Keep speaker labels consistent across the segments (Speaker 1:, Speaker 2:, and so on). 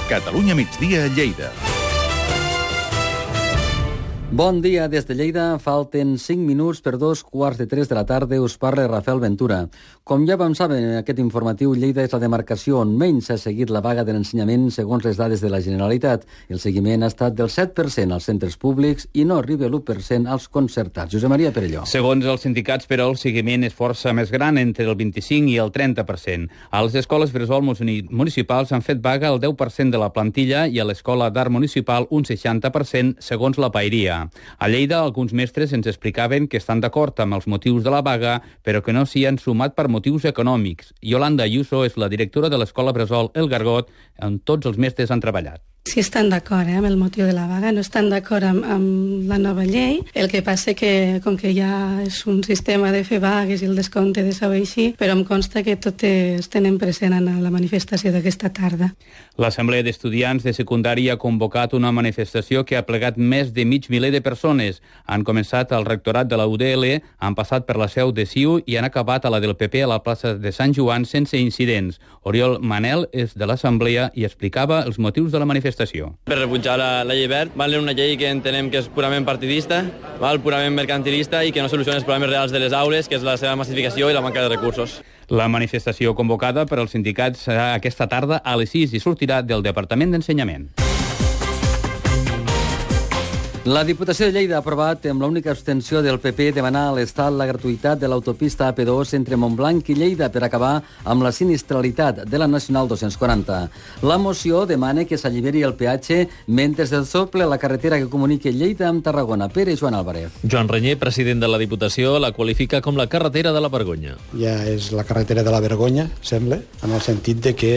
Speaker 1: Catalunya migdia a Lleida.
Speaker 2: Bon dia des de Lleida. Falten 5 minuts per 2:15 de la tarda. Us parla Rafael Ventura. Com ja vam saber en aquest informatiu, Lleida és la demarcació on menys ha seguit la vaga de l'ensenyament segons les dades de la Generalitat. El seguiment ha estat del 7% als centres públics i no arriba a l'1% als concertats. Josep Maria Perelló.
Speaker 3: Segons els sindicats, però, el seguiment és força més gran, entre el 25 i el 30%. A les escoles bressol municipals han fet vaga el 10% de la plantilla i a l'Escola d'Art Municipal un 60%, segons la Paeria. A Lleida, alguns mestres ens explicaven que estan d'acord amb els motius de la vaga, però que no s'hi han sumat per motius econòmics. Yolanda Ayuso és la directora de l'Escola Bressol El Gargot, on tots els mestres han treballat.
Speaker 4: Sí estan d'acord amb el motiu de la vaga, no estan d'acord amb la nova llei. El que passa que, com que ja és un sistema de fer vagues i el descompte de sou així, però em consta que totes tenen present en la manifestació d'aquesta tarda.
Speaker 3: L'Assemblea d'Estudiants de Secundària ha convocat una manifestació que ha plegat més de mig miler de persones. Han començat al rectorat de la UDL, han passat per la seu de CiU i han acabat a la del PP a la plaça de Sant Joan sense incidents. Oriol Manel és de l'Assemblea i explicava els motius de la manifestació.
Speaker 5: Per rebutjar la llei verd, una llei que entenem que és purament partidista, purament mercantilista i que no soluciona els problemes reals de les aules, que és la seva massificació i la manca de recursos.
Speaker 3: La manifestació convocada per als sindicats serà aquesta tarda a les 6 i sortirà del Departament d'Ensenyament.
Speaker 2: La Diputació de Lleida ha aprovat amb l'única abstenció del PP demanar a l'Estat la gratuïtat de l'autopista AP2 entre Montblanc i Lleida per acabar amb la sinistralitat de la Nacional 240. La moció demana que s'alliberi el peatge mentre es desdoble la carretera que comunica Lleida amb Tarragona. Pere Joan Álvarez.
Speaker 6: Joan Renyer, president de la Diputació, la qualifica com la carretera de la vergonya.
Speaker 7: Ja és la carretera de la vergonya, sembla, en el sentit de que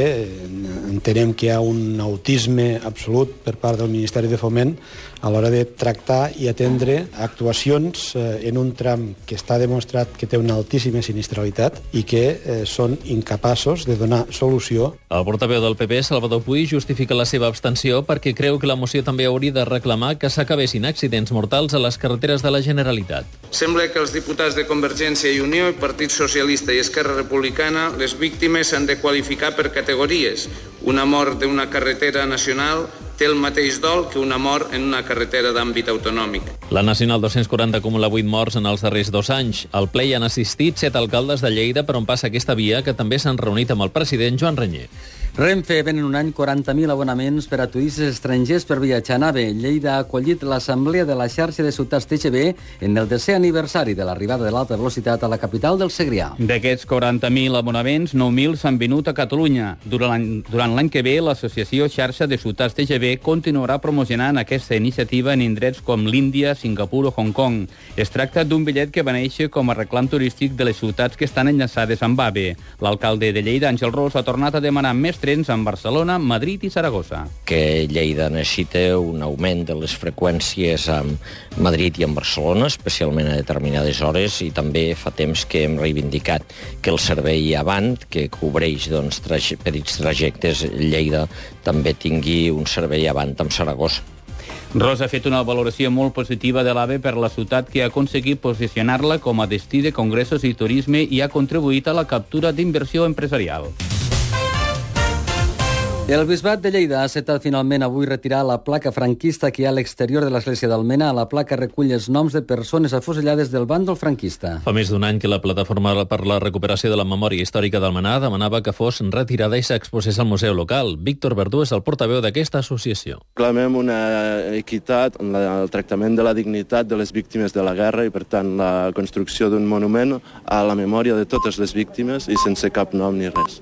Speaker 7: entenem que hi ha un autisme absolut per part del Ministeri de Foment a l'hora de tractar i atendre actuacions en un tram que està demostrat que té una altíssima sinistralitat i que són incapaços de donar solució.
Speaker 6: El portaveu del PP, Salvador Puig, justifica la seva abstenció perquè creu que la moció també hauria de reclamar que s'acabessin accidents mortals a les carreteres de la Generalitat.
Speaker 8: Sembla que els diputats de Convergència i Unió i Partit Socialista i Esquerra Republicana les víctimes s'han de qualificar per categories. Una mort d'una carretera nacional té el mateix dol que una mort en una carretera d'àmbit autonòmic.
Speaker 6: La Nacional 240 acumula 8 morts en els darrers 2 anys. Al ple hi han assistit 7 alcaldes de Lleida per on passa aquesta via, que també s'han reunit amb el president Joan Renyer.
Speaker 2: Renfe ven en un any 40.000 abonaments per a turistes estrangers per viatjar a nave. Lleida ha acollit l'assemblea de la xarxa de ciutats TGV en el 10è aniversari de l'arribada de l'alta velocitat a la capital del Segrià.
Speaker 3: D'aquests 40.000 abonaments, 9.000 s'han venut a Catalunya. Durant l'any que ve, l'associació Xarxa de Ciutats TGV continuarà promocionant aquesta iniciativa en indrets com l'Índia, Singapur o Hong Kong. Es tracta d'un bitllet que va néixer com a reclam turístic de les ciutats que estan enllaçades amb AVE. L'alcalde de Lleida, Àngel Ros, ha tornat a demanar més trens amb Barcelona, Madrid i Saragossa.
Speaker 9: Que Lleida necessita un augment de les freqüències amb Madrid i amb Barcelona, especialment a determinades hores, i també fa temps que hem reivindicat que el servei Avant, que cobreix petits trajectes, Lleida també tingui un servei Avant amb Saragossa.
Speaker 3: Ros ha fet una valoració molt positiva de l'AVE per la ciutat, que ha aconseguit posicionar-la com a destí de congressos i turisme i ha contribuït a la captura d'inversió empresarial.
Speaker 2: El Bisbat de Lleida ha acceptat finalment avui retirar la placa franquista que hi ha a l'exterior de l'església d'Almena. La placa recull els noms de persones afusellades del bàndol franquista.
Speaker 6: Fa més d'un any que la Plataforma per la Recuperació de la Memòria Històrica d'Almenar demanava que fos retirada i s'exposés al museu local. Víctor Verdú és el portaveu d'aquesta associació.
Speaker 10: Clamem una equitat en el tractament de la dignitat de les víctimes de la guerra i, per tant, la construcció d'un monument a la memòria de totes les víctimes i sense cap nom ni res.